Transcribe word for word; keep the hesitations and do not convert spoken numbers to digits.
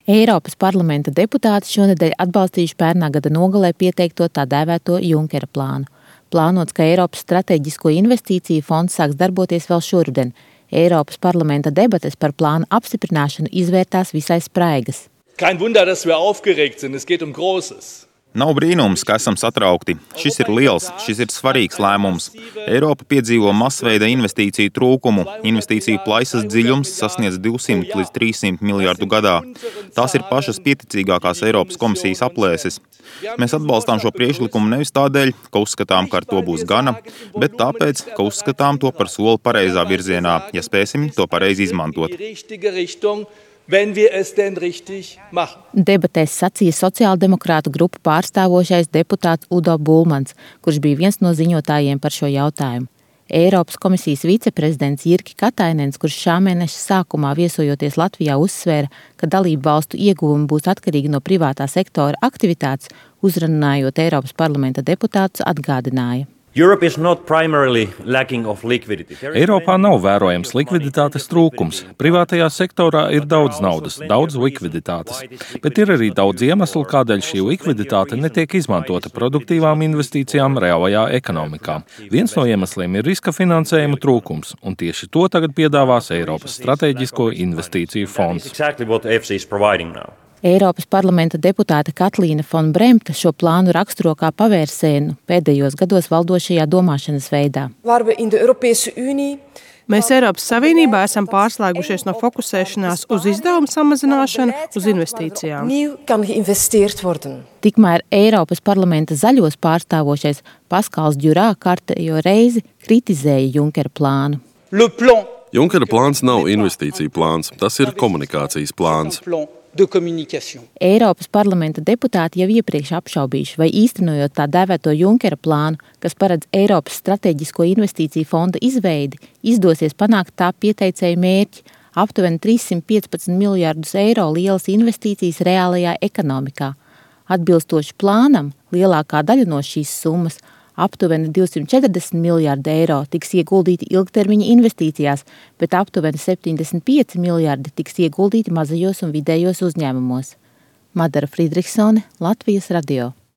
Eiropas parlamenta deputāti šonedēļ atbalstījuši pērnā gada nogalē pieteikto tā dēvēto Junkera plānu. Plānots, ka Eiropas strateģisko investīciju fonds sāks darboties vēl šoruden. Eiropas parlamenta debates par plānu apstiprināšanu izvērtās visai spraigas. Kein Wunder, dass wir aufgeregt sind. Es geht um Großes. Nav brīnums, ka esam satraukti. Šis ir liels, šis ir svarīgs lēmums. Eiropa piedzīvo masveida investīciju trūkumu. Investīciju plaisas dziļums sasniedz divsimt līdz trīssimt miljārdu gadā. Tās ir pašas pieticīgākās Eiropas komisijas aplēses. Mēs atbalstām šo priekšlikumu nevis tādēļ, ka uzskatām, ka ar to būs gana, bet tāpēc, ka uzskatām to par soli pareizā virzienā, ja spēsim to pareizi izmantot. Wenn wir es denn richtig machen. Debatēs sacīja sociāldemokrātu grupu pārstāvošais deputāts Udo Bulmans, kurš bija viens no ziņotājiem par šo jautājumu. Eiropas komisijas viceprezidents Jirki Katainens, kurš šā mēneša sākumā viesojoties Latvijā uzsvēra, ka dalību valstu ieguvumi būs atkarīgi no privātā sektora aktivitātes, uzrunājot Eiropas parlamenta deputātus, atgādināja. Eiropā nav vērojams likviditātes trūkums. Privātajā sektorā ir daudz naudas, daudz likviditātes. Bet ir arī daudz iemeslu, kādēļ šī likviditāte netiek izmantota produktīvām investīcijām reālajā ekonomikā. Viens no iemesliem ir riska finansējuma trūkums, un tieši to tagad piedāvās Eiropas strateģisko investīciju fonds. Eiropas parlamenta deputāte Katlīna Fon Bremta šo plānu raksturo kā pavērsienu pēdējos gados valdošajā domāšanas veidā. Mēs Eiropas Savienībā esam pārslēgušies no fokusēšanās uz izdevumu samazināšanu uz investīcijām. Tikmēr Eiropas parlamenta zaļos pārstāvošais Paskals Djurā kārtējo reizi kritizēja Junkera plānu. Junkera plāns nav investīcija plāns, tas ir komunikācijas plāns. Eiropas parlamenta deputāti jau iepriekš apšaubījuši, vai īstenojot tā dēvēto Junkera plānu, kas paredz Eiropas strateģisko investīciju fonda izveidi, izdosies panākt tā pieteicēju mērķi – aptuveni trīssimt piecpadsmit miljārdus eiro lielas investīcijas reālajā ekonomikā. Atbilstoši plānam, lielākā daļa no šīs summas – aptuveni divsimt četrdesmit miljārdi eiro tiks ieguldīti ilgtermiņa investīcijās, bet aptuveni septiņdesmit pieci miljārdi tiks ieguldīti mazajos un vidējos uzņēmumos. Madara Friedrichsone, Latvijas radio.